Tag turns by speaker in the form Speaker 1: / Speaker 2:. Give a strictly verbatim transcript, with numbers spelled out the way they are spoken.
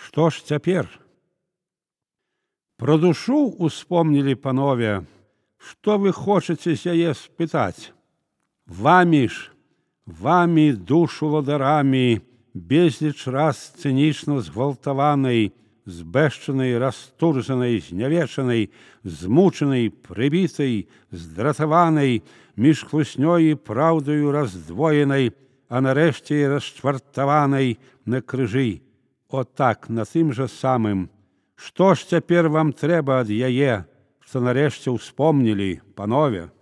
Speaker 1: Што ж цяпер? Пра душу успомнілі панове, што вы хочаце з яе спытаць? Вамі ж, вамі душу ладарамі, безліч раз цынічна згвалтаванай, збэшчанай, растуржанай, знявечанай, змучанай, прыбітай, здратаванай, між хлуснёй і праўдаю раздвоенай, а нарэшце і расчвартаванай на крыжы. Отак, на тым жа самым. Што ж цяпер вам трэба ад яе, што нарэшце ўспомнілі, панове?